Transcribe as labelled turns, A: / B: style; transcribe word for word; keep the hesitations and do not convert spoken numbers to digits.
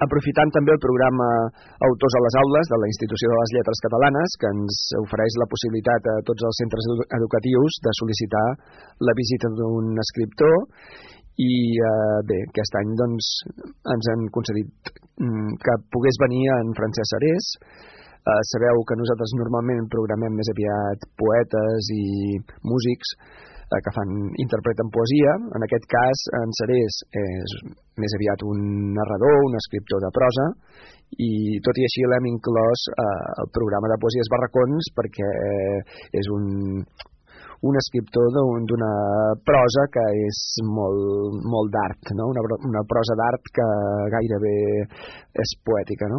A: aprofitant també el programa Autors a les Aules de la Institució de les Lletres Catalanes, que ens ofereix la possibilitat a tots els centres educatius de sol·licitar la visita d'un escriptor. I eh, bé, aquest any doncs, ens han concedit mm, que pogués venir en Francesc Sarés. Eh, sabeu que nosaltres normalment programem més aviat poetes i músics eh, que fan, interpreten poesia. En aquest cas, en Sarés és més aviat un narrador, un escriptor de prosa, i tot i així l'hem inclòs eh, al programa de Poesies Barracons perquè és un... un escriptor d'una prosa que és molt, molt d'art, no? una, una prosa d'art que gairebé és poètica, no?